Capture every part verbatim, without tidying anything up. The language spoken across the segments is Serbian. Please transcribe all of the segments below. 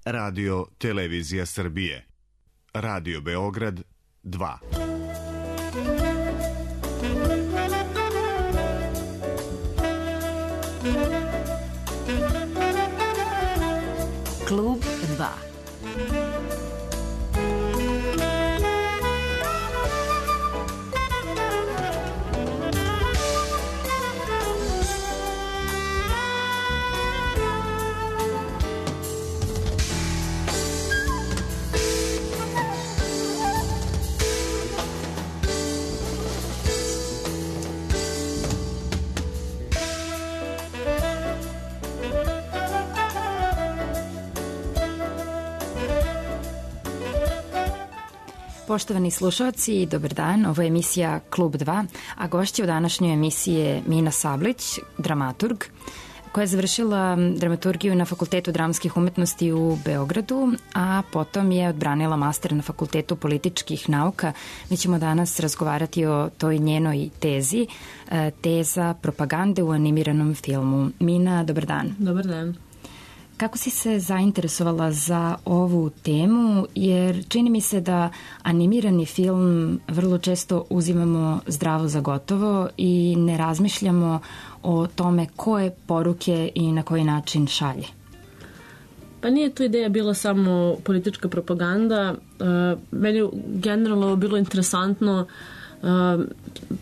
Radio Televizija Srbije. Radio Beograd dva. Klub dva. Poštovani slušalci, dobar dan, ovo je emisija Klub dva, a gošća u današnjoj emisiji je Mina Sablić, dramaturg, koja je završila dramaturgiju na Fakultetu dramskih umetnosti u Beogradu, a potom je odbranila master na Fakultetu političkih nauka. Mi ćemo danas razgovarati o toj njenoj tezi, teza propagande u animiranom filmu. Mina, dobar dan. Dobar dan. Kako si se zainteresovala za ovu temu, jer čini mi se da animirani film vrlo često uzimamo zdravo za gotovo i ne razmišljamo o tome koje poruke i na koji način šalje. Pa nije tu ideja bila samo politička propaganda. Meni je generalno bilo interesantno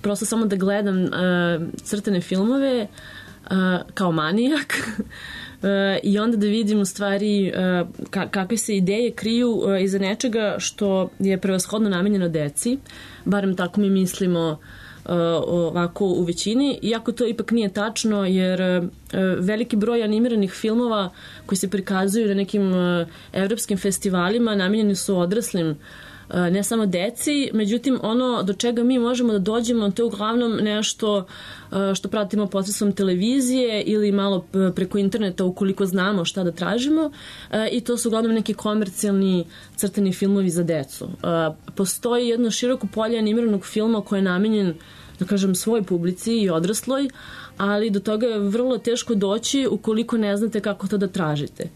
prosto samo da gledam crtane filmove kao manijak i onda da vidim u stvari kakve se ideje kriju iza nečega što je prevashodno namenjeno deci, barem tako mi mislimo ovako u većini, iako to ipak nije tačno, jer veliki broj animiranih filmova koji se prikazuju na nekim evropskim festivalima namenjeni su odraslim, ne samo deci, međutim ono do čega mi možemo da dođemo to je uglavnom nešto što pratimo posredstvom televizije ili malo preko interneta ukoliko znamo šta da tražimo, i to su uglavnom neki komercijalni crtani filmovi za decu. Postoji jedno široko polje animiranog filma koje je namenjen, da kažem, svoj publici i odrasloj, ali do toga je vrlo teško doći ukoliko ne znate kako to da tražite.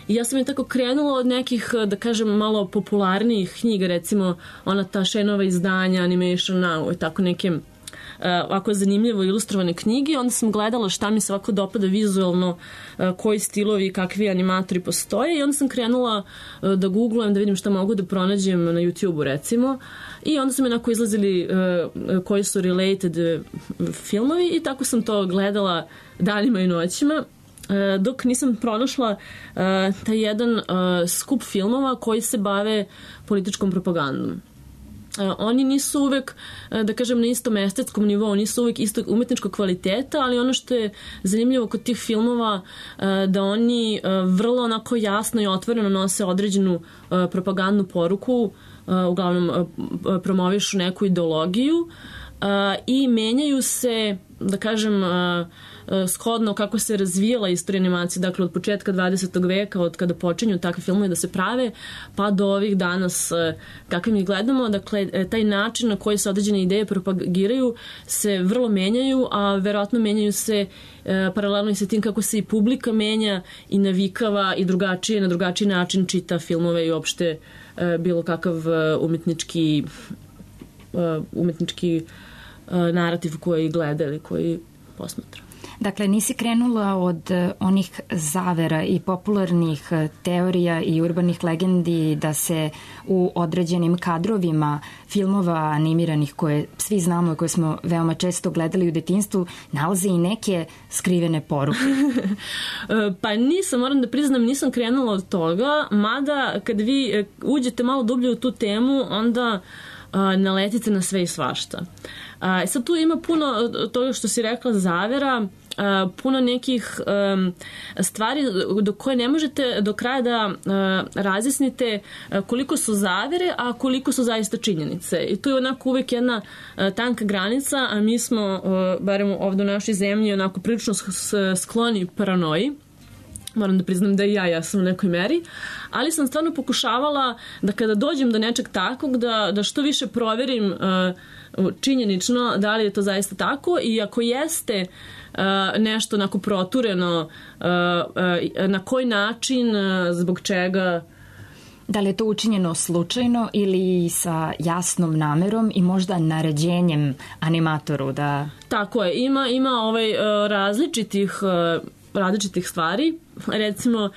I ja sam je tako krenula od nekih, da kažem, malo popularnijih knjiga, recimo ona ta Shenova izdanja, Animation Now i tako neke ovako zanimljivo ilustrovane knjige. Onda sam gledala šta mi se ovako dopada vizualno, koji stilovi i kakvi animatori postoje, i onda sam krenula da googlujem da vidim šta mogu da pronađem na YouTube-u recimo, i onda su mi onako izlazili koji su related filmovi i tako sam to gledala danima i noćima, dok nisam pronašla taj jedan skup filmova koji se bave političkom propagandom. Oni nisu uvek, da kažem, na istom estetskom nivou, nisu uvek istog umetničkog kvaliteta, ali ono što je zanimljivo kod tih filmova da oni vrlo onako jasno i otvoreno nose određenu propagandnu poruku, uglavnom promovišu neku ideologiju i menjaju se, da kažem, shodno kako se razvijala istorija animacije, dakle od početka dvadesetog veka, od kada počinju takve filmove da se prave, pa do ovih danas kakve mi gledamo. Dakle, taj način na koji se određene ideje propagiraju se vrlo menjaju, a verovatno menjaju se paralelno i sa tim kako se i publika menja i navikava i drugačije, na drugačiji način čita filmove i uopšte bilo kakav umetnički umetnički narativ koji gleda ili koji posmatra. Dakle, nisi krenula od onih zavera i popularnih teorija i urbanih legendi da se u određenim kadrovima filmova animiranih koje svi znamo i koje smo veoma često gledali u detinjstvu nalaze i neke skrivene poruke? Pa nisam, moram da priznam, nisam krenula od toga, mada kad vi uđete malo dublje u tu temu, onda naletite na sve i svašta. Sad tu ima puno toga što si rekla zavera, puno nekih um, stvari do koje ne možete do kraja da uh, razjasnite koliko su zavere, a koliko su zaista činjenice. I tu je onako uvek jedna uh, tanka granica, a mi smo, uh, barem ovdje u našoj zemlji, onako prilično skloni paranoji. moram da priznam da i ja jesam u nekoj meri, ali sam stvarno pokušavala da kada dođem do nečeg takvog, da, da što više proverim uh, činjenično da li je to zaista tako i ako jeste uh, nešto onako protureno, uh, uh, na koji način, uh, zbog čega. Da li je to učinjeno slučajno ili sa jasnom namerom i možda naređenjem animatoru da... Tako je, ima, ima ovaj, uh, različitih... Uh, različitih stvari. Recimo,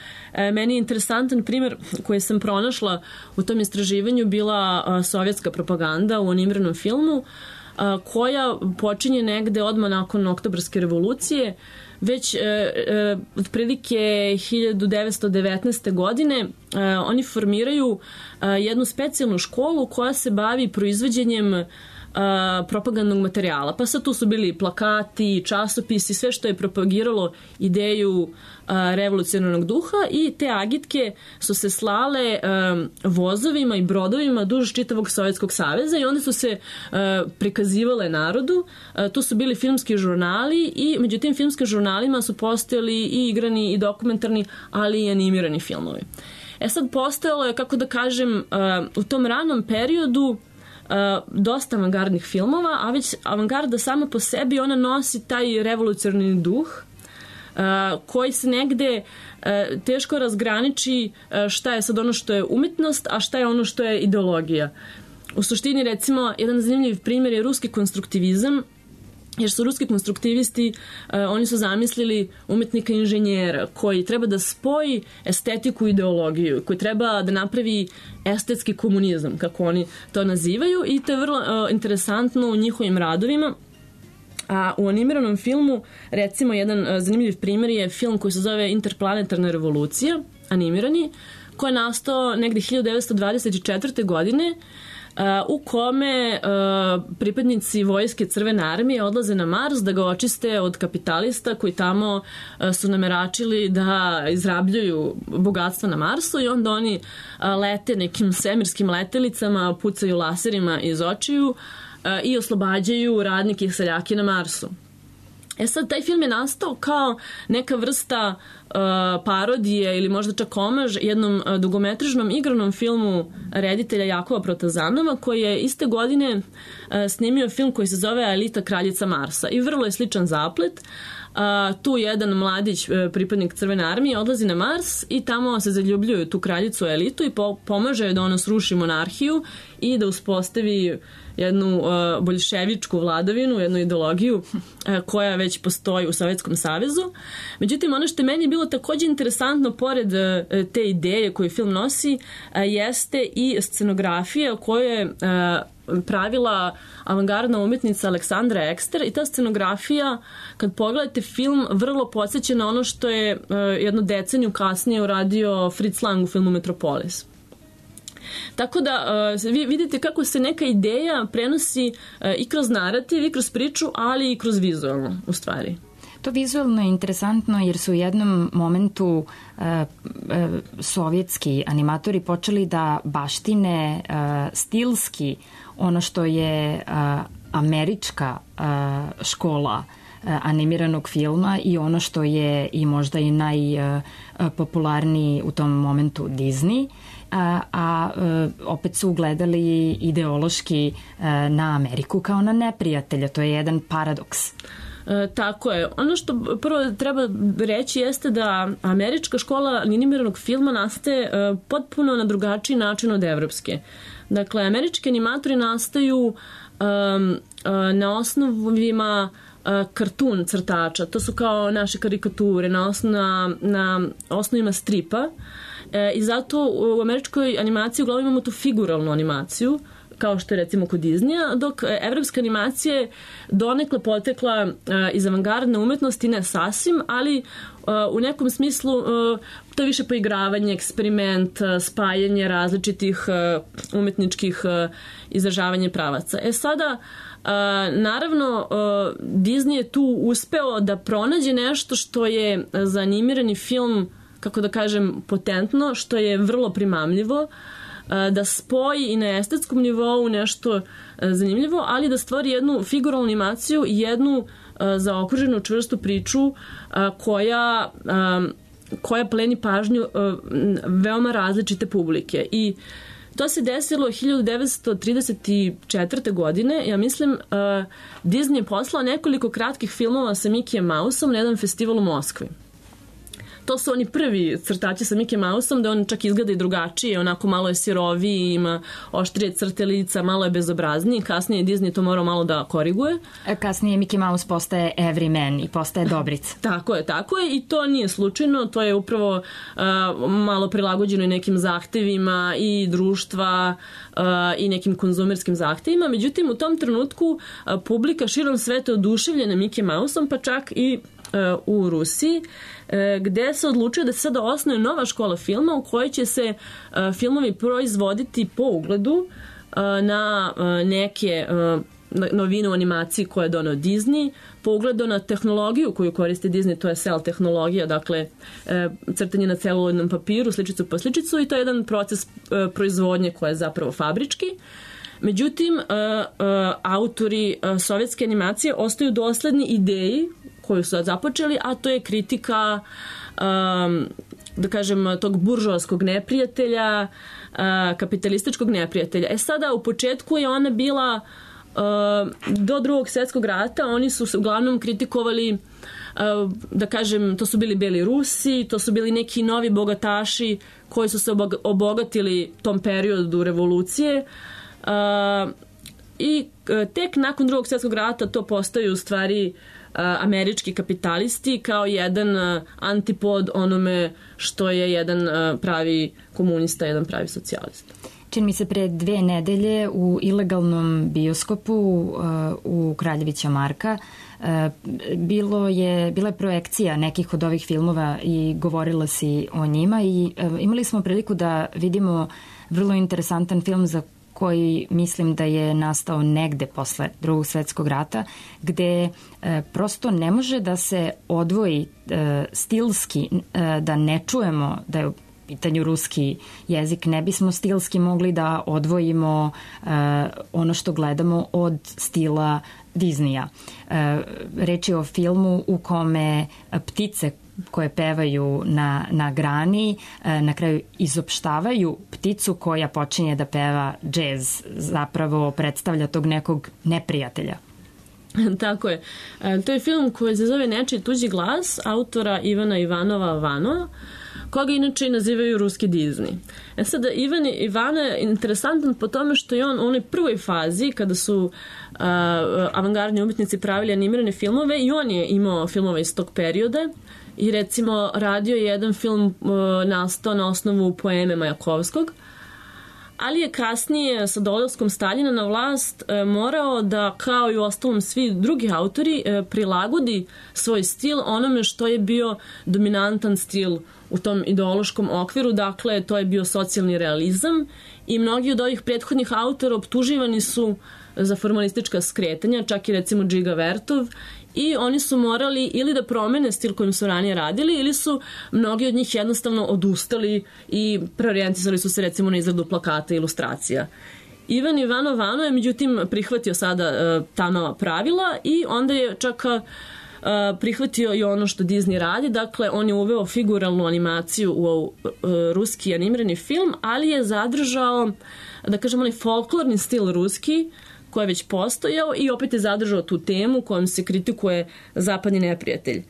meni je interesantan primjer koji sam pronašla u tom istraživanju bila sovjetska propaganda u animiranom filmu, koja počinje negde odmah nakon Oktobarske revolucije. Već e, e, otprilike hiljadu devetsto devetnaeste. godine e, oni formiraju e, jednu specijalnu školu koja se bavi proizvođenjem Uh, propagandnog materijala. Pa sad tu su bili plakati, časopisi, sve što je propagiralo ideju uh, revolucionarnog duha i te agitke su se slale um, vozovima i brodovima duž čitavog Sovjetskog saveza i onda su se uh, prikazivale narodu. Uh, tu su bili filmski žurnali i među tim filmskim žurnalima su postojali i igrani i dokumentarni, ali i animirani filmovi. E sad postojalo je, kako da kažem, uh, u tom ranom periodu Uh, dosta avangardnih filmova, a već avangarda sama po sebi ona nosi taj revolucionarni duh uh, koji se negde uh, teško razgraniči uh, šta je sad ono što je umetnost, a šta je ono što je ideologija. U suštini, recimo, jedan zanimljiv primjer je ruski konstruktivizam, jer su ruski konstruktivisti, uh, oni su zamislili umetnika inženjera koji treba da spoji estetiku i ideologiju, koji treba da napravi estetski komunizam, kako oni to nazivaju, i to je vrlo uh, interesantno u njihovim radovima. A u animiranom filmu, recimo, jedan uh, zanimljiv primjer je film koji se zove Interplanetarna revolucija, animirani, koji je nastao negde hiljadu devetsto dvadeset četvrte. godine, Uh, u kome uh, pripadnici vojske Crvene armije odlaze na Mars da ga očiste od kapitalista koji tamo uh, su nameračili da izrabljuju bogatstva na Marsu i onda oni uh, lete nekim svemirskim letelicama, pucaju laserima iz očiju uh, i oslobađaju radnike i seljake na Marsu. E sad, taj film je nastao kao neka vrsta uh, parodije ili možda čak omaž jednom uh, dugometražnom igranom filmu reditelja Jakova Protazanova, koji je iste godine uh, snimio film koji se zove Elita kraljica Marsa. I vrlo je sličan zaplet. Uh, tu jedan mladić, uh, pripadnik Crvene armije, odlazi na Mars i tamo se zaljubljuju tu kraljicu Elitu i po- pomaže da ona sruši monarhiju i da uspostavi jednu uh, boljševičku vladavinu, jednu ideologiju uh, koja već postoji u Sovjetskom savezu. Međutim, ono što je meni bilo takođe interesantno, pored uh, te ideje koju film nosi, uh, jeste i scenografija koju je uh, pravila avangardna umetnica Aleksandra Ekster, i ta scenografija, kad pogledate film, vrlo podsjeća na ono što je uh, jednu deceniju kasnije uradio Fritz Lang u filmu Metropolis. Tako da uh, vi vidite kako se neka ideja prenosi uh, i kroz narativ, i kroz priču, ali i kroz vizualno, u stvari. To vizualno je interesantno jer su u jednom momentu uh, uh, sovjetski animatori počeli da baštine uh, stilski ono što je uh, američka uh, škola uh, animiranog filma i ono što je i možda i najpopularniji uh, u tom momentu Disney. A, a opet su ugledali ideološki na Ameriku kao na neprijatelja. To je jedan paradoks. E, tako je. Ono što prvo treba reći jeste da američka škola animiranog filma nastaje e, potpuno na drugačiji način od evropske. Dakle, američki animatori nastaju e, e, na osnovima e, kartun crtača. To su kao naše karikature na, osna, na osnovima stripa. E, I zato u američkoj animaciji uglavnom imamo tu figuralnu animaciju, kao što je recimo kod Disneya, dok evropska animacija je donekle potekla e, iz avangardne umetnosti, ne sasvim, ali e, u nekom smislu e, to je više poigravanje, eksperiment, e, spajanje različitih e, umetničkih e, izražavanja pravaca. E sada, e, naravno, e, Disney je tu uspeo da pronađe nešto što je za animirani film, kako da kažem, potentno, što je vrlo primamljivo, da spoji i na estetskom nivou nešto zanimljivo, ali da stvori jednu figuralnu animaciju i jednu zaokruženu čvrstu priču koja koja pleni pažnju uh, veoma različite publike. I to se desilo hiljadu devetsto trideset četvrte. godine. Ja mislim, uh, Disney je poslao nekoliko kratkih filmova sa Mickey Mouseom na jedan festival u Moskvi. To su oni prvi crtači sa Mickey Mouseom, da on čak izgleda i drugačije, onako malo je siroviji, ima oštrije crte lica, malo je bezobrazniji. Kasnije je Disney to morao malo da koriguje. Kasnije Mickey Mouse postaje everyman i postaje dobrica. Tako je, tako je i to nije slučajno, to je upravo uh, malo prilagođeno i nekim zahtevima i društva uh, i nekim konzumerskim zahtevima. Međutim, u tom trenutku uh, publika širom sveta je oduševljena Mickey Mouseom, pa čak i uh, u Rusiji, gde se odlučio da se sada osnuje nova škola filma u kojoj će se uh, filmovi proizvoditi po ugledu uh, na uh, neke uh, novine u animaciji koje je doneo Disney, po ugledu na tehnologiju koju koriste Disney, to je cel tehnologija, dakle uh, crtanje na celuloidnom papiru, sličicu po sličicu, i to je jedan proces uh, proizvodnje koji je zapravo fabrički. Međutim, uh, uh, autori uh, sovjetske animacije ostaju dosledni ideji koju su započeli, a to je kritika um, da kažem tog buržoaskog neprijatelja, uh, kapitalističkog neprijatelja. E sada, u početku je ona bila uh, do drugog svjetskog rata, oni su se uglavnom kritikovali, uh, da kažem, to su bili beli Rusi, to su bili neki novi bogataši koji su se obogatili tom periodu revolucije, uh, i tek nakon drugog svjetskog rata to postaju u stvari američki kapitalisti kao jedan antipod onome što je jedan pravi komunista, jedan pravi socijalista. Čini mi se pre dve nedelje u ilegalnom bioskopu u Kraljevića Marka bilo je, bila je projekcija nekih od ovih filmova i govorila si o njima i imali smo priliku da vidimo vrlo interesantan film za koji mislim da je nastao negde posle drugog svetskog rata, gde e, prosto ne može da se odvoji e, stilski, e, da ne čujemo da je u pitanju ruski jezik, ne bismo stilski mogli da odvojimo e, ono što gledamo od stila Disneya. E, reč je o filmu u kome ptice koje pevaju na, na grani, na kraju izopštavaju pticu koja počinje da peva džez, zapravo predstavlja tog nekog neprijatelja. Tako je. To je film koji se zove Nečiji tuđi glas, autora Ivana Ivanova Vano, koga inače nazivaju ruski Disney. E sada, Ivan Ivana je interesantan po tome što je on u onoj prvoj fazi, kada su uh, avangardni umetnici pravili animirane filmove, i on je imao filmove iz tog perioda. I recimo radio je jedan film uh, nastao na osnovu poeme Majakovskog, ali je kasnije sa dolaskom Staljina na vlast uh, morao da, kao i u ostalom svi drugi autori, uh, prilagodi svoj stil onome što je bio dominantan stil u tom ideološkom okviru, dakle to je bio socijalni realizam, i mnogi od ovih prethodnih autora optuživani su za formalistička skretanja, čak i recimo Džiga Vertov, i oni su morali ili da promene stil kojim su ranije radili, ili su mnogi od njih jednostavno odustali i preorijentisali su se recimo na izradu plakata i ilustracija. Ivan Ivanov Vano je međutim prihvatio sada uh, ta nova pravila i onda je čak uh, prihvatio i ono što Disney radi, dakle on je uveo figuralnu animaciju u uh, ruski animirani film, ali je zadržao, da kažem, onaj folklorni stil ruski koji je već postojao, i opet je zadržao tu temu kojom se kritikuje zapadni neprijatelj.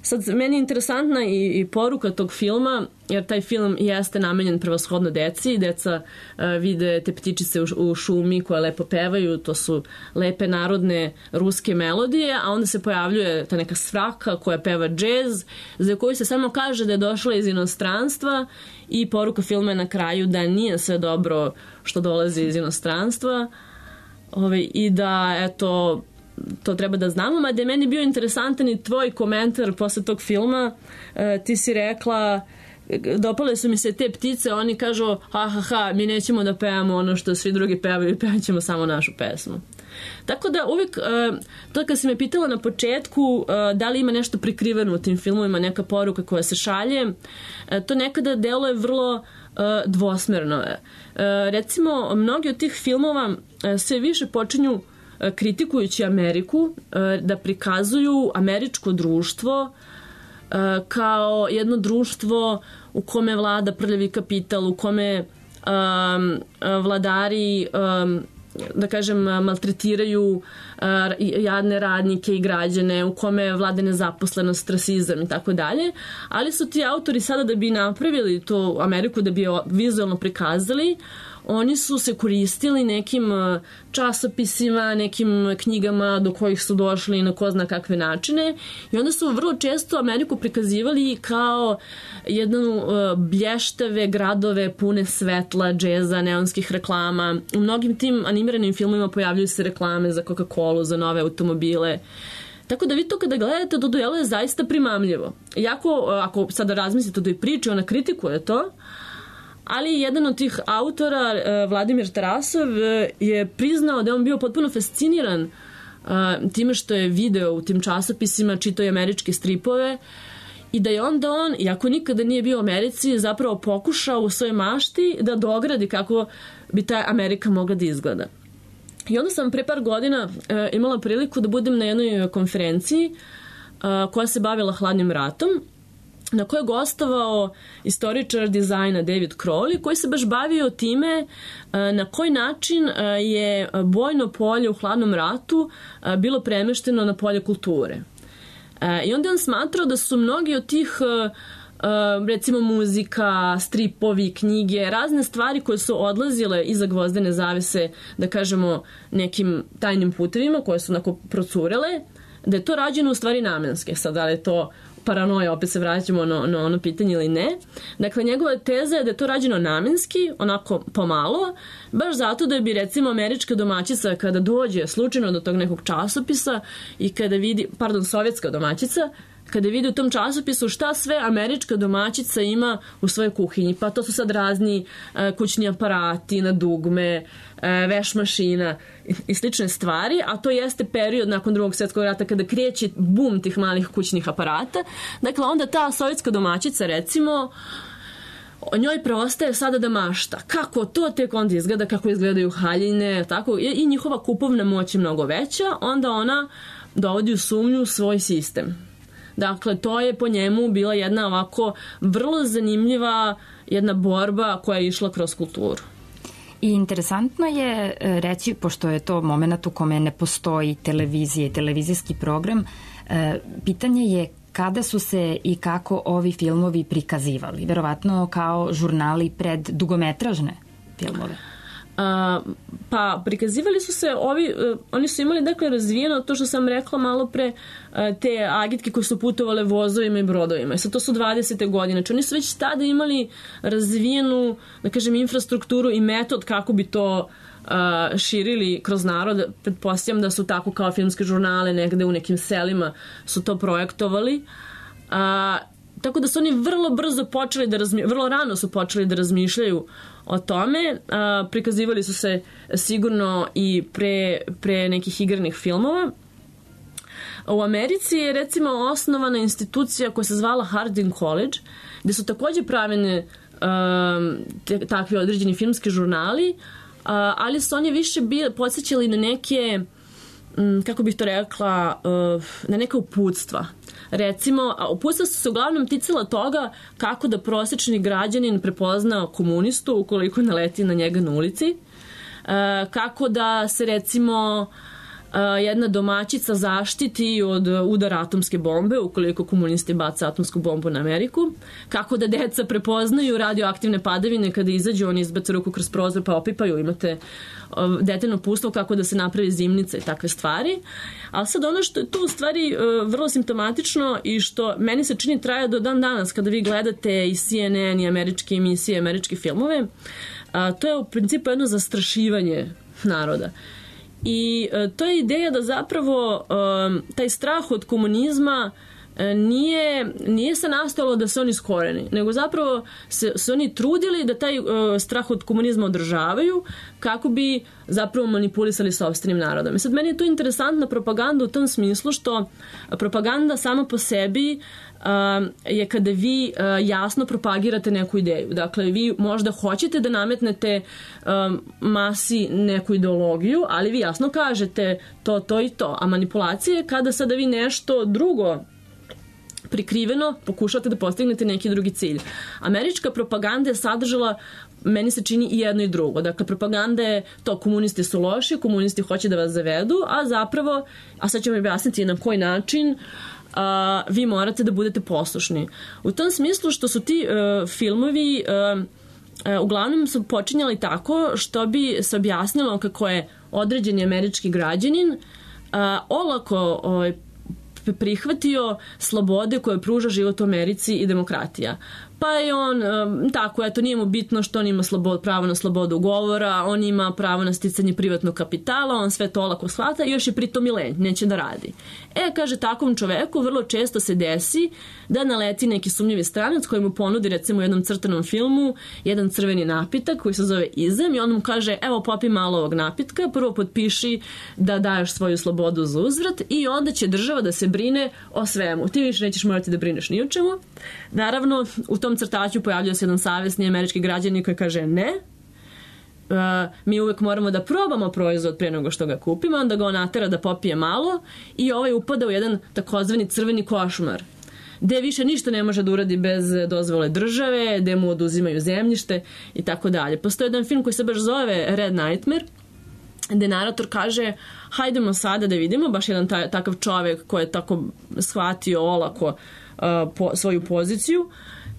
Sad, meni je interesantna i, i poruka tog filma, jer taj film jeste namenjen prevashodno deci. Deca uh, vide te ptičice u, u šumi koje lepo pevaju, to su lepe narodne ruske melodije, a onda se pojavljuje ta neka svraka koja peva džez, za koju se samo kaže da je došla iz inostranstva, i poruka filma je na kraju da nije sve dobro što dolazi iz inostranstva. Ove, i da, eto, to treba da znamo, mada je meni bio interesantan i tvoj komentar posle tog filma. E, ti si rekla, dopale su mi se te ptice, oni kažu, ha, ha, ha, mi nećemo da pevamo ono što svi drugi pevaju, pevat ćemo samo našu pesmu. Tako da uvijek, to kad si me pitala na početku da li ima nešto prikriveno u tim filmovima, neka poruka koja se šalje, to nekada deluje vrlo dvosmerno. Recimo, mnogi od tih filmova sve više počinju kritikujući Ameriku, da prikazuju američko društvo kao jedno društvo u kome vlada prljavi kapital, u kome um, vladari um, da kažem, maltretiraju uh, jadne radnike i građane, u kome vlada nezaposlenost, rasizam i tako dalje, ali su ti autori sada da bi napravili to Ameriku, da bi je vizualno prikazali, oni su se koristili nekim časopisima, nekim knjigama do kojih su došli na ko zna kakve načine i onda su vrlo često Ameriku prikazivali kao jednu blještave gradove pune svetla, džeza, neonskih reklama. U mnogim tim animiranim filmovima pojavljuju se reklame za Coca-Colu, za nove automobile. Tako da vi to kada gledate, to djeluje zaista primamljivo. Iako, ako sada razmislite o toj priči, ona kritikuje to, ali jedan od tih autora, Vladimir Tarasov, je priznao da je on bio potpuno fasciniran time što je video u tim časopisima, čitao je američke stripove i da je onda on, iako nikada nije bio u Americi, zapravo pokušao u svojoj mašti da dogradi kako bi ta Amerika mogla da izgleda. I onda sam pre par godina imala priliku da budem na jednoj konferenciji koja se bavila hladnim ratom, na kojoj je gostovao istoričar dizajna David Crowley, koji se baš bavio time na koji način je bojno polje u hladnom ratu bilo premešteno na polje kulture. I onda on smatrao da su mnogi od tih, recimo muzika, stripovi, knjige, razne stvari koje su odlazile iza gvozdene zavese, da kažemo, nekim tajnim putevima koje su onako procurele, da je to rađeno u stvari namenske. Sad, da li je to paranoja, opet se vraćamo na, na ono pitanje ili ne. Dakle, njegova teza je da je to rađeno namenski, onako pomalo, baš zato da bi, recimo, američka domaćica kada dođe slučajno do tog nekog časopisa i kada vidi, pardon, sovjetska domaćica, kada vidi u tom časopisu šta sve američka domaćica ima u svojoj kuhinji. Pa to su sad razni e, kućni aparati na dugme, e, veš mašina i, i slične stvari, a to jeste period nakon drugog svjetskog rata kada kreće bum tih malih kućnih aparata. Dakle, onda ta sovjetska domaćica, recimo, njoj preostaje sada da mašta. Kako to tek onda izgleda, kako izgledaju haljine, tako, i njihova kupovna moć je mnogo veća, onda ona dovodi u sumnju svoj sistem. Dakle, to je po njemu bila jedna ovako vrlo zanimljiva jedna borba koja je išla kroz kulturu. I interesantno je reći, pošto je to moment u kome ne postoji televizija i televizijski program, pitanje je kada su se i kako ovi filmovi prikazivali. Verovatno kao žurnali pred dugometražne filmove. Uh, pa prikazivali su se ovi, uh, oni su imali dakle razvijeno to što sam rekla malo pre, uh, te agitke koje su putovale vozovima i brodovima. I sad to su dvadesete godine. Znači oni su već tada imali razvijenu, da kažem, infrastrukturu i metod kako bi to uh, širili kroz narod. Pretpostavljam da su tako kao filmske žurnale negde u nekim selima su to projektovali. Uh, Tako da su oni vrlo brzo počeli da razmišljaju, vrlo rano su počeli da razmišljaju o tome. A, prikazivali su se sigurno i pre, pre nekih igranih filmova. U Americi je recimo osnovana institucija koja se zvala Harding College, gde su takođe pravene a, te, takvi određeni filmski žurnali, a, ali su oni više bili, podsjećali na neke, m, kako bih to rekla, a, na neka uputstva. Recimo, uputstva su se uglavnom ticala toga kako da prosječni građanin prepozna komunistu ukoliko naleti na njega na ulici, kako da se recimo jedna domaćica zaštiti od udara atomske bombe ukoliko komunisti baca atomsku bombu na Ameriku, kako da deca prepoznaju radioaktivne padavine kada izađu, oni izbace ruku kroz prozor pa opipaju, imate detaljno uputstvo kako da se napravi zimnica i takve stvari. Ali sad ono što je tu u stvari vrlo simptomatično i što meni se čini traje do dan danas kada vi gledate i C N N i američke emisije, američke filmove, to je u principu jedno zastrašivanje naroda. I e, to je ideja da zapravo e, taj strah od komunizma e, nije, nije se nastalo da se oni iskoreni, nego zapravo se, se oni trudili da taj e, strah od komunizma održavaju kako bi zapravo manipulisali sopstvenim narodom. I sad meni je to interesantna propaganda u tom smislu što propaganda sama po sebi Uh, je kada vi uh, jasno propagirate neku ideju. Dakle, vi možda hoćete da nametnete um, masi neku ideologiju, ali vi jasno kažete to, to i to. A manipulacija je kada sada vi nešto drugo prikriveno pokušate da postignete neki drugi cilj. Američka propaganda je sadržala, meni se čini, i jedno i drugo. Dakle, propaganda je to, komunisti su loši, komunisti hoće da vas zavedu, a zapravo, a sad ću vam objasniti na koji način, a, vi morate da budete poslušni. U tom smislu što su ti uh, filmovi uh, uh, uglavnom su počinjali tako što bi se objasnilo kako je određeni američki građanin uh, olako uh, prihvatio slobode koje pruža život u Americi i demokratija. Pa je on, tako, eto, nije mu bitno što on ima slobod, pravo na slobodu govora, on ima pravo na sticanje privatnog kapitala, on sve to olako shvata i još je pritom i lenj, neće da radi. E, kaže, takvom čoveku vrlo često se desi da naleti neki sumnjivi stranac koji mu ponudi, recimo, u jednom crtanom filmu jedan crveni napitak koji se zove Izem i on mu kaže, evo, popi malo ovog napitka, prvo potpiši da daješ svoju slobodu za uzvrat i onda će država da se brine o svemu. Ti više nećeš morati da brineš ni o čemu. Naravno, u tom crtaću pojavljuje se jedan savjesni američki građanin koji kaže ne, uh, mi uvek moramo da probamo proizvod pre nego što ga kupimo, onda ga on natera da popije malo i ovaj upada u jedan takozvani crveni košmar, gde više ništa ne može da uradi bez dozvole države, gde mu oduzimaju zemljište i tako dalje. Postoji jedan film koji se baš zove Red Nightmare, gde narator kaže, hajdemo sada da vidimo, baš jedan taj, takav čovek koji je tako shvatio olako uh, po, svoju poziciju,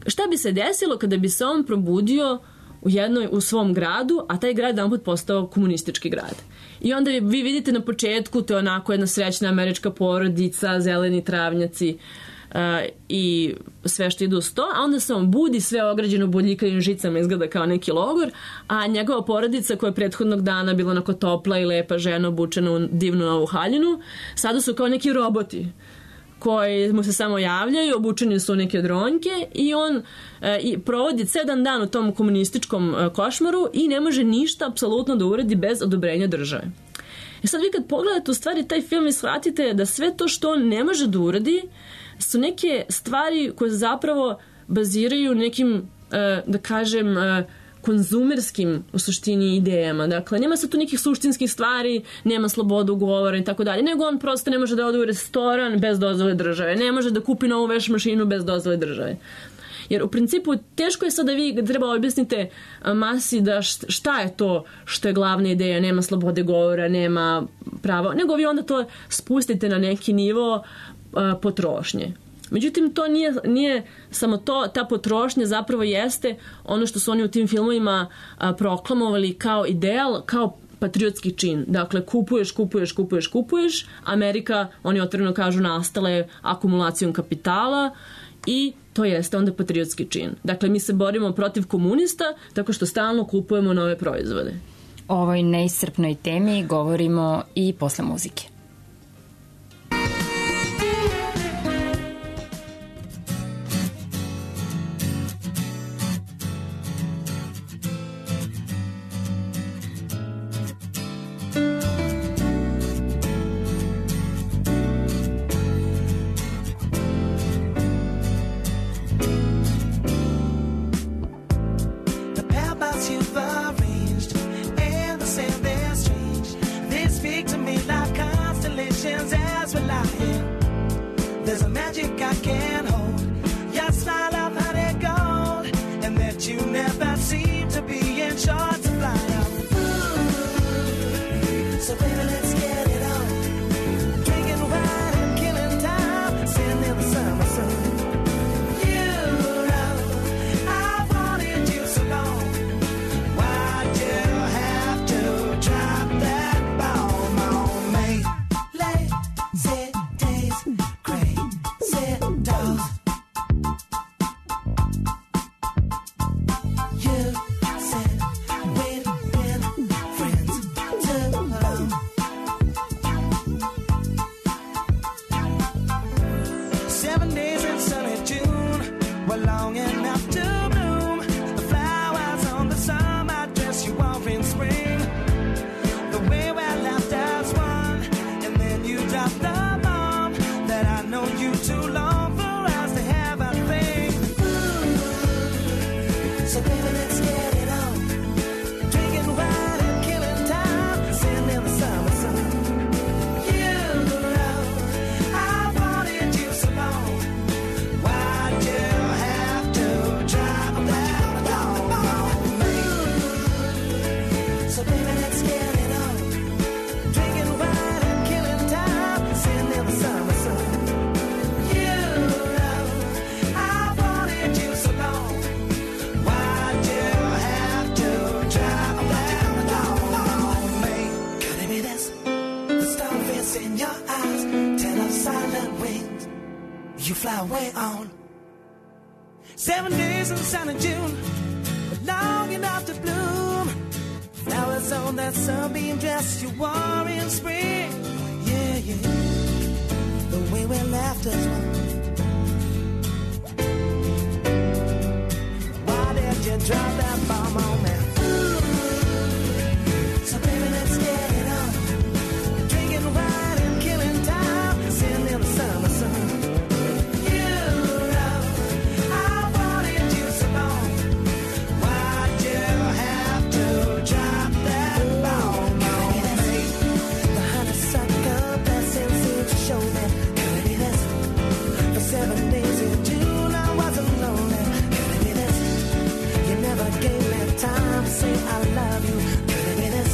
šta bi se desilo kada bi se on probudio u jednoj, u svom gradu, a taj grad jedanput postao komunistički grad. I onda vi vidite na početku, to je onako jedna srećna američka porodica, zeleni travnjaci uh, i sve što ide uz to, a onda se on budi, sve ograđeno bodljikavim žicama, izgleda kao neki logor, a njegova porodica koja je prethodnog dana bila onako topla i lepa žena obučena u divnu novu haljinu, sada su kao neki roboti koji mu se samo javljaju, obučeni su u neke dronjke i on e, i provodi sedam dan u tom komunističkom e, košmaru i ne može ništa apsolutno da uradi bez odobrenja države. I sad vi kad pogledate u stvari taj film i shvatite da sve to što on ne može da uradi su neke stvari koje zapravo baziraju nekim, e, da kažem, e, konzumerskim u suštini idejama. Dakle, nema se tu nekih suštinskih stvari, nema slobodu govora i tako dalje, nego on prosto ne može da ode u restoran bez dozvole države, ne može da kupi novu veš mašinu bez dozvole države. Jer u principu teško je sad da vi treba objasnite masi da šta je to što je glavna ideja, nema slobode govora, nema prava, nego vi onda to spustite na neki nivo uh, potrošnje. Međutim, to nije, nije samo to, ta potrošnja zapravo jeste ono što su oni u tim filmovima a, proklamovali kao ideal, kao patriotski čin. Dakle, kupuješ, kupuješ, kupuješ, kupuješ. Amerika, oni otvoreno kažu, nastala je akumulacijom kapitala i to jeste onda patriotski čin. Dakle, mi se borimo protiv komunista tako što stalno kupujemo nove proizvode. O ovoj neiscrpnoj temi govorimo i posle muzike. Sit you fly away on. Seven days in the sun of June, but long enough to bloom. Flowers on that sunbeam dress you wore in spring. Yeah, yeah, the way we laughed as one. Why did you drop that bomb on me? Ooh. So baby, let's get it on. Drinking wine and killing time, sitting in the summer sun. You know I wanted you so long. Why'd you have to drop that bomb on me? The honeysuckle blessing seemed to show me. Could it be this? For seven days in June I wasn't lonely. Could it be this? You never gave me time to say I love you. Could it be this?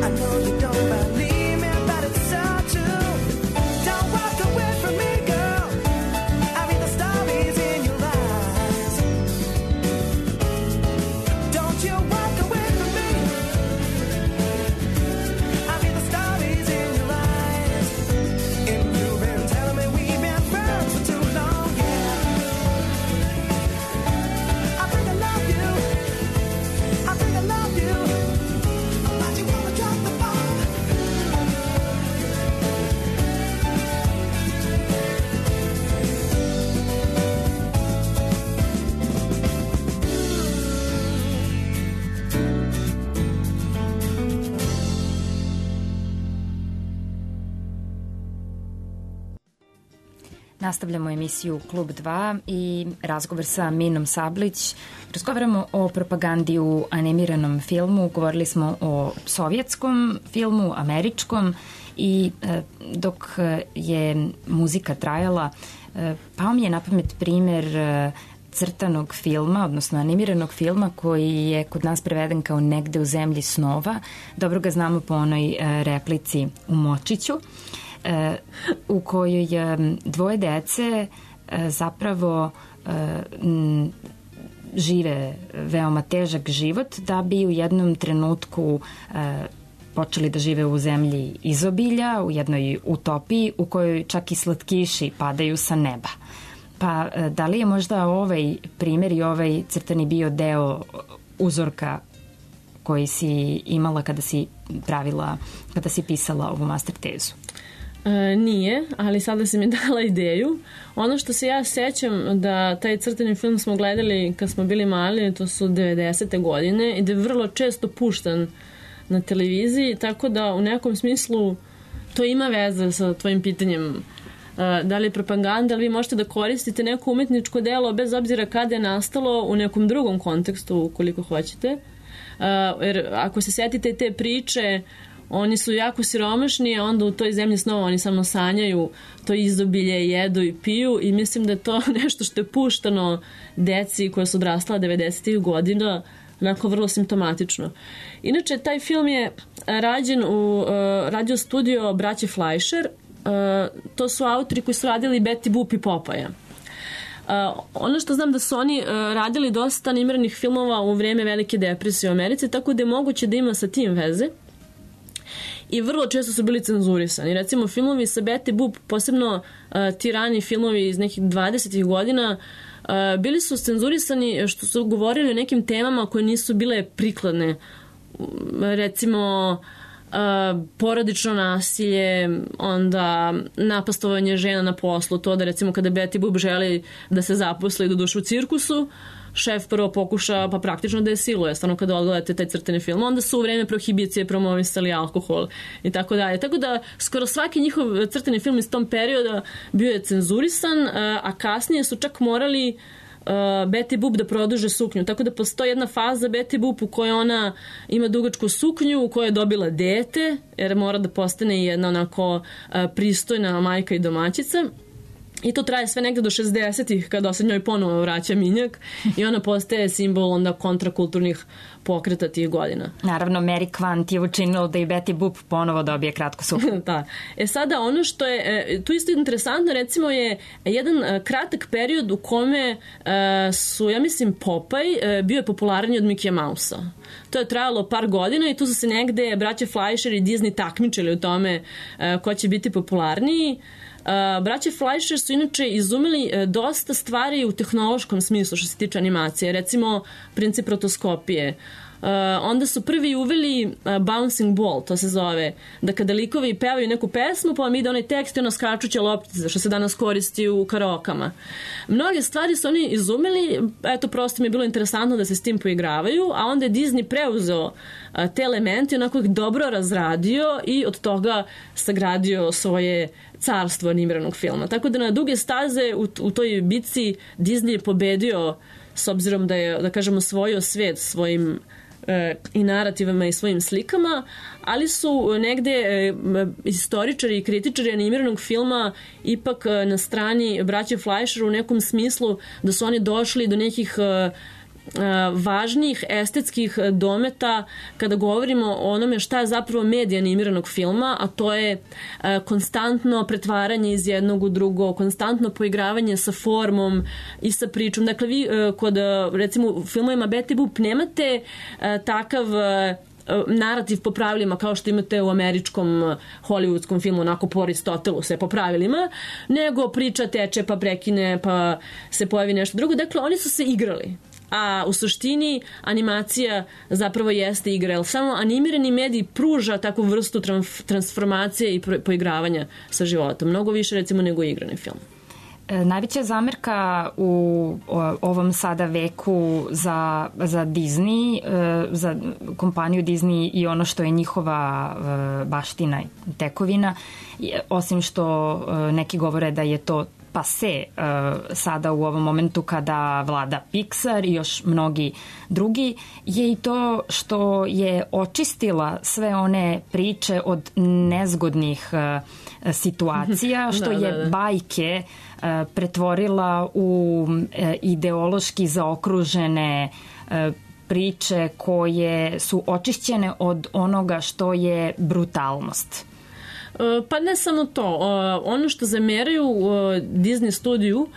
I know you don't believe me, but it's so true. Don't walk away from me, girl. I read the stories in your eyes. Don't you walk away from me. I read the stories in your eyes. And you've been telling me we've been friends for too long, yeah. I think I love you. I think I love you. Why'd you wanna drop the bomb? Nastavljamo emisiju Klub dva i razgovor sa Minom Sablić. Razgovaramo o propagandi u animiranom filmu, govorili smo o sovjetskom filmu, američkom i e, dok je muzika trajala, e, pao mi je na pamet primer e, crtanog filma, odnosno animiranog filma koji je kod nas preveden kao Negde u zemlji snova. Dobro ga znamo po onoj e, replici u Močiću, e, u kojoj e, dvoje dece e, zapravo e, m, žive veoma težak život da bi u jednom trenutku e, počeli da žive u zemlji izobilja, u jednoj utopiji u kojoj čak i slatkiši padaju sa neba. Pa da li je možda ovaj primer i ovaj crtani bio deo uzorka koji si imala kada si pravila, kada si pisala ovu master tezu? E, nije, ali sada si mi dala ideju. Ono što se ja sećam da taj crtani film smo gledali kad smo bili mali, to su devedesete godine i da je vrlo često puštan na televiziji, tako da u nekom smislu to ima veze sa tvojim pitanjem da li je propaganda, ali vi možete da koristite neko umetničko delo bez obzira kada je nastalo u nekom drugom kontekstu ukoliko hoćete. Jer ako se setite te priče, oni su jako siromašni, a onda u toj zemlji snova oni samo sanjaju to izobilje, jedu i piju i mislim da je to nešto što je puštano deci koja su odrastala devedesetih godina, onako vrlo simptomatično. Inače, taj film je rađen u uh, radio studio braće Fleischer. Uh, to su autori koji su radili Betty Boop i Popaja. Uh, ono što znam da su oni uh, radili dosta animiranih filmova u vreme Velike depresije u Americi, tako da je moguće da ima sa tim veze. I vrlo često su bili cenzurisani. Recimo, filmovi sa Betty Boop, posebno uh, ti rani filmovi iz nekih dvadesetih godina, uh, bili su cenzurisani što su govorili o nekim temama koje nisu bile prikladne. Recimo, Uh, porodično nasilje, onda napastovanje žena na poslu, to da recimo kada Betty Boop želi da se zaposli do duše u cirkusu, šef prvo pokuša pa praktično da je siluje, stvarno kada odgledate taj crteni film, onda su u vreme prohibicije promovisali alkohol i tako dalje. Tako da skoro svaki njihov crteni film iz tom perioda bio je cenzurisan, uh, a kasnije su čak morali Uh, Betty Boop da produže suknju, tako da postoji jedna faza Betty Boop u kojoj ona ima dugačku suknju, u kojoj je dobila dete, jer mora da postane jedna onako uh, pristojna majka i domaćica. I to traje sve negde do šezdesetih kada se njoj ponovo vraća minjak i ona postaje simbol onda kontrakulturnih pokreta tih godina. Naravno, Mary Quant je učinilo da i Betty Boop ponovo dobije kratku suknju. Da. E sada ono što je tu isto interesantno recimo je jedan kratak period u kome su, ja mislim, Popeye bio je popularniji od Mickey Mouse-a. To je trajalo par godina i tu su se negde braće Fleischer i Disney takmičili u tome ko će biti popularniji. Uh, braće Fleischer su inače izumeli uh, dosta stvari u tehnološkom smislu što se tiče animacije, recimo princip rotoskopije. Uh, onda su prvi uveli uh, bouncing ball, to se zove, da kada likovi pevaju neku pesmu pa vam ide onaj tekst i ono skačuće loptice što se danas koristi u karaokama. Mnoge stvari su oni izumeli, eto prosto mi je bilo interesantno da se s tim poigravaju, a onda je Disney preuzeo uh, te elemente i onako ih dobro razradio i od toga sagradio svoje carstvo animiranog filma. Tako da na duge staze u, u toj bitci Disney je pobedio s obzirom da je, da kažemo, osvojio svet svojim e, i narativama i svojim slikama, ali su negde e, istoričari i kritičari animiranog filma ipak e, na strani braće Fleischer u nekom smislu da su oni došli do nekih e, važnijih estetskih dometa kada govorimo o onome šta je zapravo medij animiranog filma, a to je konstantno pretvaranje iz jednog u drugo, konstantno poigravanje sa formom i sa pričom. Dakle, vi kod, recimo, u filmovima Betty Boop nemate takav narativ po pravilima kao što imate u američkom hollywoodskom filmu, onako po Aristotelu sve po pravilima, nego priča teče pa prekine pa se pojavi nešto drugo. Dakle, oni su se igrali. A u suštini animacija zapravo jeste igra, jer samo animirani medij pruža takvu vrstu transformacije i poigravanja sa životom. Mnogo više recimo nego igrani film. E, najveća zamerka u o, ovom sada veku za, za Disney, e, za kompaniju Disney i ono što je njihova e, baština i tekovina, je, osim što e, neki govore da je to pase uh, sada u ovom momentu kada vlada Pixar i još mnogi drugi, je i to što je očistila sve one priče od nezgodnih uh, situacija, što da, je da, da. bajke uh, pretvorila u uh, ideološki zaokružene uh, priče koje su očišćene od onoga što je brutalnost. Pa ne samo to. Ono što zameraju Disney studiju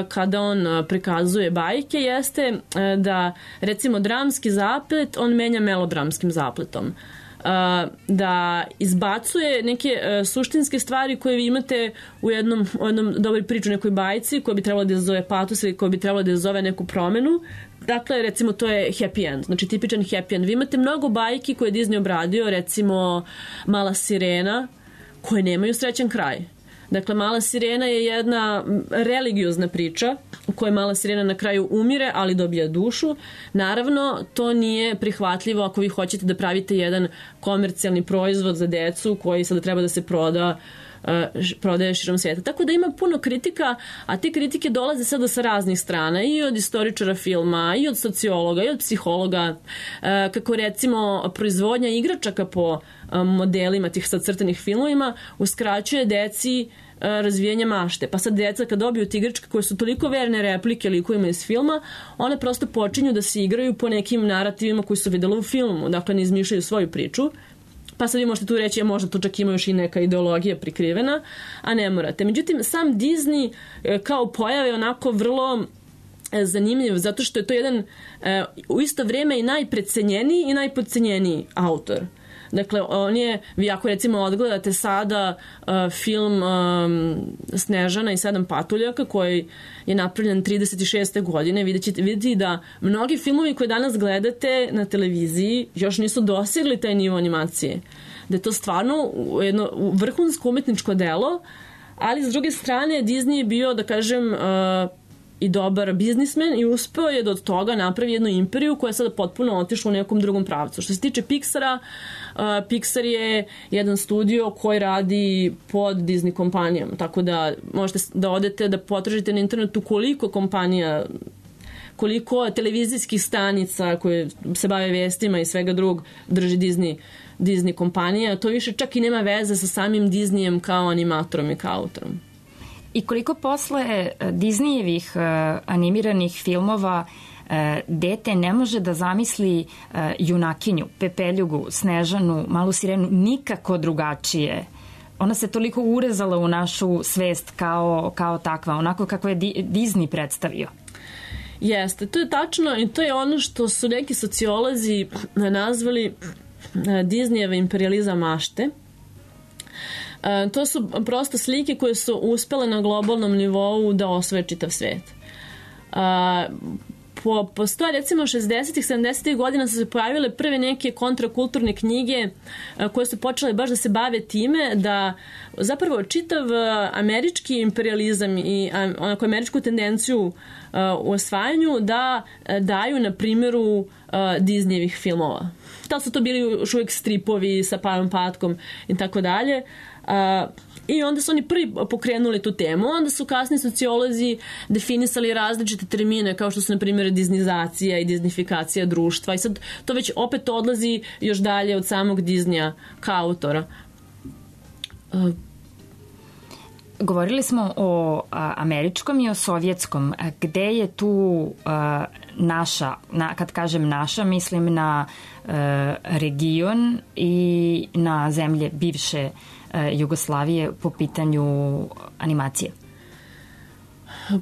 kada on prikazuje bajke jeste da recimo dramski zaplet on menja melodramskim zapletom. Da izbacuje neke suštinske stvari koje vi imate u jednom, u jednom dobroj priču, nekoj bajci koja bi trebala da zove patos ili koja bi trebala da zove neku promenu. Dakle, recimo, to je happy end, znači tipičan happy end. Vi imate mnogo bajki koje je Disney obradio, recimo Mala sirena, koje nemaju srećan kraj. Dakle, Mala sirena je jedna religiozna priča u kojoj Mala sirena na kraju umire, ali dobija dušu. Naravno, to nije prihvatljivo ako vi hoćete da pravite jedan komercijalni proizvod za decu koji sada treba da se proda prodaje širom svijeta. Tako da ima puno kritika, a te kritike dolaze sada sa raznih strana, i od istoričara filma, i od sociologa, i od psihologa, kako recimo proizvodnja igračaka po modelima tih sad crtanih filmovima uskraćuje deci razvijanje mašte. Pa sad deca kad dobiju te igračke koje su toliko verne replike likovima iz filma, one prosto počinju da se igraju po nekim narativima koji su videli u filmu. Dakle, ne izmišljaju svoju priču. Pa sad vi možete tu reći, ja možda tu čak ima još i neka ideologija prikrivena, a ne morate. Međutim, sam Disney kao pojave je onako vrlo zanimljiv, zato što je to jedan u isto vrijeme i najprecenjeniji i najpodcenjeniji autor. Dakle, on je, vi ako recimo odgledate sada uh, film um, Snežana i sedam patuljaka koji je napravljen trideset šeste godine, vidjet ćete, vidjeti da mnogi filmovi koje danas gledate na televiziji još nisu dosegli taj nivo animacije. Da je to stvarno jedno vrhunsko umetničko delo, ali s druge strane Disney je bio, da kažem, uh, i dobar biznismen i uspeo je da od toga napravi jednu imperiju koja je sada potpuno otišla u nekom drugom pravcu. Što se tiče Pixara, uh, Pixar je jedan studio koji radi pod Disney kompanijom, tako da možete da odete da potražite na internetu koliko kompanija, koliko televizijskih stanica koje se bave vestima i svega drugog drži Disney, Disney kompanija. To više čak i nema veze sa samim Disneyem kao animatorom i kao autorom. I koliko posle Disneyjevih uh, animiranih filmova uh, dete ne može da zamisli uh, junakinju, Pepeljugu, Snežanu, Malu sirenu nikako drugačije. Ona se toliko urezala u našu svest kao, kao takva, onako kako je Di- Disney predstavio. Jeste, to je tačno i to je ono što su neki sociolozi nazvali Disneyjeva imperijalizam mašte. Uh, to su prosto slike koje su uspele na globalnom nivou da osvoje čitav svet. Uh, po, postoje recimo šezdesetih, sedamdesetih godina su se pojavile prve neke kontrakulturne knjige uh, koje su počele baš da se bave time da zapravo čitav uh, američki imperializam i um, onako američku tendenciju uh, u osvajanju da uh, daju na primjeru uh, Disneyevih filmova. Da su to bili još uvijek stripovi sa Pajom Patkom i tako dalje. Uh, I onda su oni prvi pokrenuli tu temu, onda su kasni sociolozi definisali različite termine kao što su na primjer disnizacija i disnifikacija društva i sad to već opet odlazi još dalje od samog Disneya kao autora. Uh, Govorili smo o a, američkom i o sovjetskom. A, gde je tu a, naša, na, kad kažem naša, mislim na a, region i na zemlje bivše a, Jugoslavije po pitanju animacije?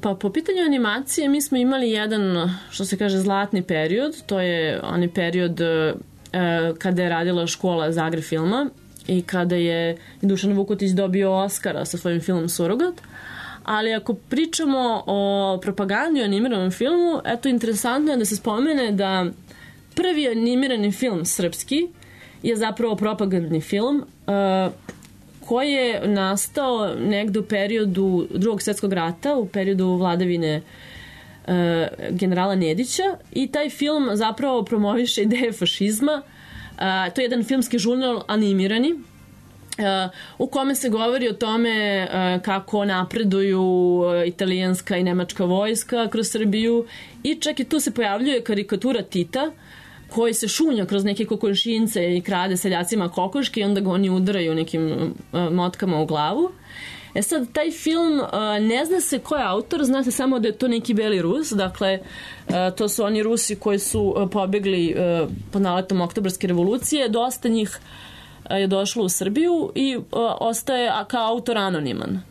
Pa po pitanju animacije mi smo imali jedan, što se kaže, zlatni period. To je onaj period a, kada je radila škola Zagreb filma i kada je Dušan Vukotić dobio Oskara sa svojim filmom Surogat. Ali ako pričamo o propagandi o animiranom filmu, eto, interesantno je da se spomene da prvi animirani film srpski je zapravo propagandni film uh, koji je nastao negde u periodu Drugog svjetskog rata, u periodu vladavine uh, generala Nedića i taj film zapravo promoviše ideje fašizma. Uh, to je jedan filmski žurnal animirani uh, u kome se govori o tome uh, kako napreduju uh, italijanska i nemačka vojska kroz Srbiju i čak i tu se pojavljuje karikatura Tita koji se šunja kroz neke kokošince i krade seljacima kokoške i onda ga oni udaraju nekim uh, motkama u glavu. E sad, taj film, uh, ne zna se ko je autor, zna se samo da je to neki beli Rus, dakle, uh, to su oni Rusi koji su uh, pobegli uh, pod naletom Oktobarske revolucije, dosta njih uh, je došlo u Srbiju i uh, ostaje kao autor anoniman.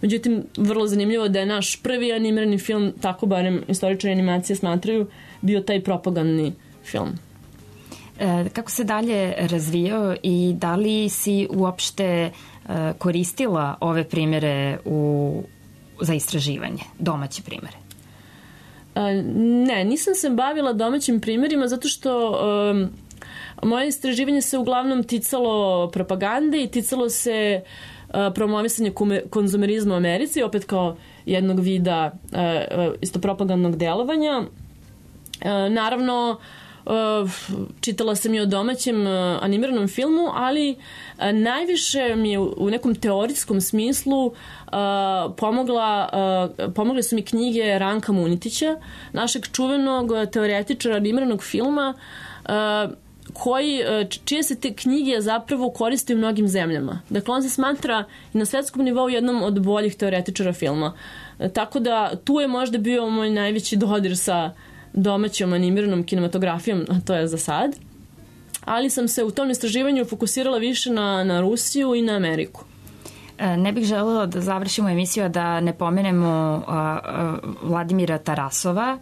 Međutim, vrlo zanimljivo da je naš prvi animirani film, tako barem istoričari animacije smatraju, bio taj propagandni film. E, kako se dalje razvijao i da li si uopšte koristila ove primjere u, za istraživanje, domaće primjere? Ne, nisam se bavila domaćim primjerima zato što um, moje istraživanje se uglavnom ticalo propagande i ticalo se uh, promovisanja konzumerizma u Americi, opet kao jednog vida uh, isto propagandnog delovanja. Uh, naravno, Uh, čitala sam i o domaćem uh, animiranom filmu, ali uh, najviše mi je u, u nekom teorijskom smislu uh, pomogla, uh, pomogle su mi knjige Ranka Munitića, našeg čuvenog teoretičara animiranog filma, uh, koji, uh, čije se te knjige zapravo koriste u mnogim zemljama. Dakle, on se smatra i na svetskom nivou jednom od boljih teoretičara filma. Uh, tako da tu je možda bio moj najveći dodir sa domaćom animiranom kinematografijom, a to je za sad. Ali sam se u tom istraživanju fokusirala više na, na Rusiju i na Ameriku. Ne bih želela da završimo emisiju a da ne pomenemo a, a, Vladimira Tarasova.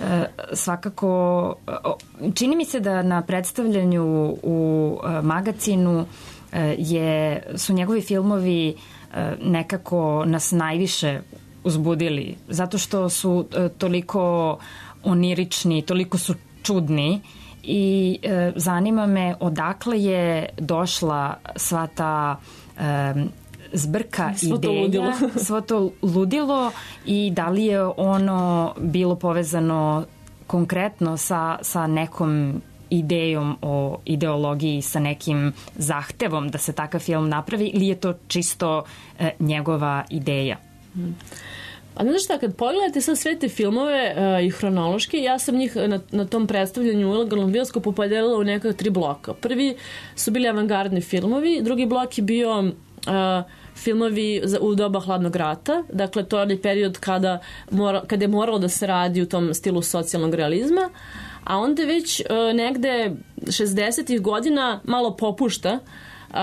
A, svakako, a, čini mi se da na predstavljanju u a, magazinu a, je, su njegovi filmovi a, nekako nas najviše uzbudili, zato što su a, toliko onirični, toliko su čudni i e, zanima me odakle je došla sva ta e, zbrka svo ideja, to ludilo. svo to ludilo i da li je ono bilo povezano konkretno sa, sa nekom idejom o ideologiji, sa nekim zahtevom da se takav film napravi ili je to čisto e, njegova ideja? Hmm. A znaš šta, kad pogledate sad sve te filmove uh, i hronološki, ja sam njih na, na tom predstavljanju u ilegalnom bioskopu podelila u neka tri bloka. Prvi su bili avangardni filmovi, drugi blok je bio uh, filmovi za, u doba hladnog rata, dakle to je onaj period kada, mora, kada je moralo da se radi u tom stilu socijalnog realizma, a onda već uh, negde šezdesetih godina malo popušta Uh,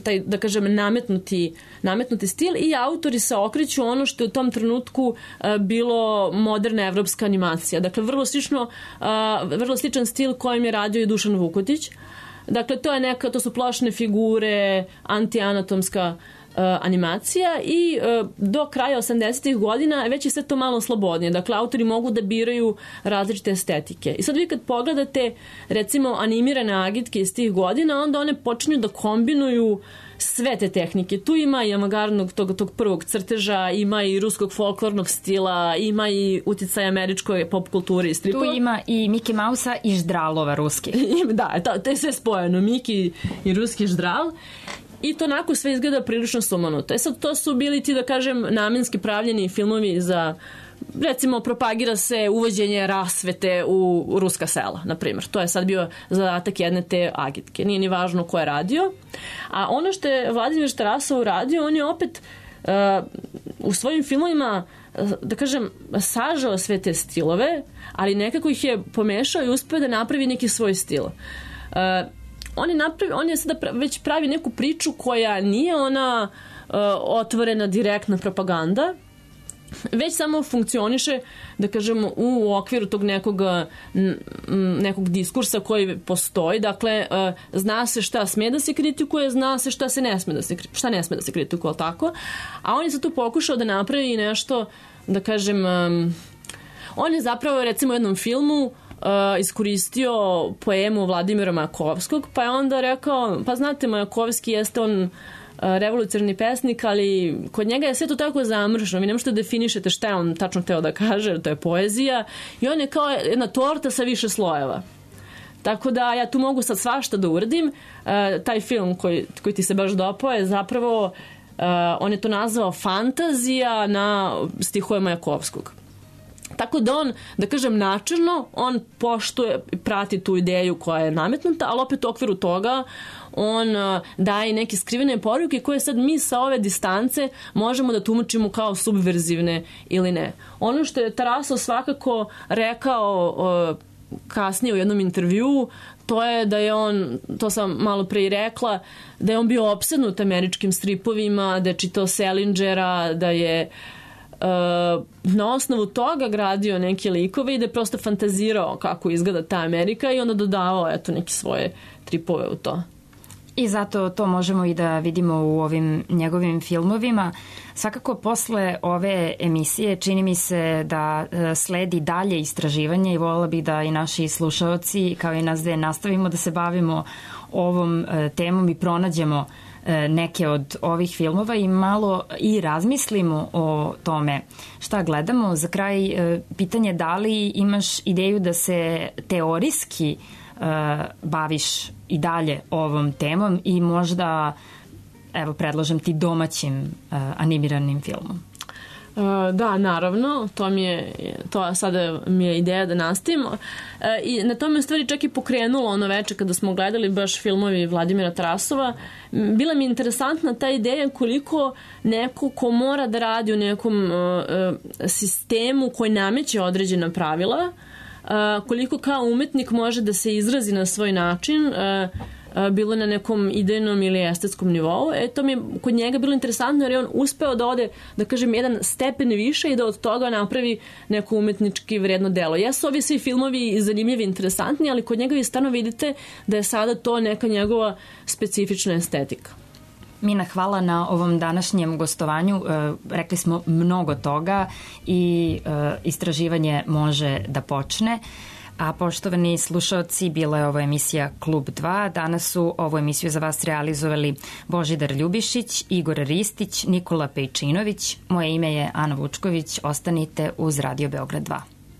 taj, da kažem, nametnuti, nametnuti stil i autori se okreću ono što je u tom trenutku uh, bilo moderna evropska animacija. Dakle, vrlo slično, uh, vrlo sličan stil kojim je radio i Dušan Vukotić. Dakle, to je neka, to su plošne figure, antianatomska animacija i uh, do kraja osamdesetih godina već je sve to malo slobodnije. Dakle, autori mogu da biraju različite estetike. I sad vi kad pogledate recimo animirane agitke iz tih godina, onda one počinju da kombinuju sve te tehnike. Tu ima i avangardnog tog, tog prvog crteža, ima i ruskog folklornog stila, ima i uticaj američkoj pop kulture i stripova. Tu ima i Miki Mausa i ždralova ruski. Da, to, to je sve spojeno. Miki i ruski ždral. I to onako sve izgleda prilično sumanuto. E sad, to su bili ti, da kažem, namenski pravljeni filmovi za, recimo, propagira se uvođenje rasvete u ruska sela, na primjer. To je sad bio zadatak jedne te agitke. Nije ni važno ko je radio. A ono što je Vladimir Tarasov radio, on je opet uh, u svojim filmovima, da kažem, sažao sve te stilove, ali nekako ih je pomešao i uspeo da napravi neki svoj stil. Uh, On je, napravi, on je sada već pravi neku priču koja nije ona uh, otvorena direktna propaganda, već samo funkcioniše, da kažemo, u okviru tog nekog, nekog diskursa koji postoji. Dakle, uh, zna se šta sme da se kritikuje, zna se šta se ne sme da se, šta ne sme da se kritikuje, tako? A on je sad tu pokušao da napravi nešto, da kažem, um, on je zapravo, recimo, u jednom filmu Uh, iskoristio poemu Vladimira Majakovskog, pa je onda rekao, pa znate, Majakovski jeste on uh, revolucionarni pesnik, ali kod njega je sve to tako zamršeno, vi ne možete definišete šta je on tačno hteo da kaže, jer to je poezija, i on je kao jedna torta sa više slojeva. Tako da ja tu mogu sad svašta da uradim. Uh, taj film koji, koji ti se baš dopao je zapravo, uh, on je to nazvao fantazija na stihove Majakovskog. Tako da on, da kažem, načelno, on poštuje, prati tu ideju koja je nametnuta, ali opet u okviru toga on uh, daje neke skrivene poruke koje sad mi sa ove distance možemo da tumačimo kao subverzivne ili ne. Ono što je Tarasov svakako rekao uh, kasnije u jednom intervjuu, to je da je on, to sam malo pre i rekla, da je on bio opsednut američkim stripovima, da je čitao Salingera, da je Uh, na osnovu toga gradio neke likove i da je prosto fantazirao kako izgleda ta Amerika i onda dodavao eto neke svoje tripove u to. I zato to možemo i da vidimo u ovim njegovim filmovima. Svakako posle ove emisije čini mi se da sledi dalje istraživanje i voljela bih da i naši slušaoci kao i nas dve nastavimo da se bavimo ovom temom i pronađemo neke od ovih filmova i malo i razmislimo o tome šta gledamo. Za kraj pitanje da li imaš ideju da se teorijski uh, baviš i dalje ovom temom i možda, evo, predlažem ti domaćim uh, animiranim filmom. Uh, da, naravno, to mi je, to sada mi je ideja da nastavimo. Uh, I na tome u stvari čak i pokrenulo ono veče kada smo gledali baš filmovi Vladimira Tarasova. Bila mi je interesantna ta ideja koliko neko ko mora da radi u nekom uh, uh, sistemu koji nameće određena pravila, uh, koliko kao umetnik može da se izrazi na svoj način, uh, bilo na nekom idejnom ili estetskom nivou. E, to mi je kod njega bilo interesantno jer je on uspeo da ode, da kažem, jedan stepen više i da od toga napravi neko umetnički vredno delo. Jesu ovi svi filmovi zanimljivi, interesantni, ali kod njega vi stvarno vidite da je sada to neka njegova specifična estetika. Mina, hvala na ovom današnjem gostovanju. E, rekli smo mnogo toga i e, istraživanje može da počne. A poštovani slušaoci, bila je ovo emisija Klub dva. Danas su ovu emisiju za vas realizovali Božidar Ljubišić, Igor Ristić, Nikola Pejčinović. Moje ime je Ana Vučković. Ostanite uz Radio Beograd dva.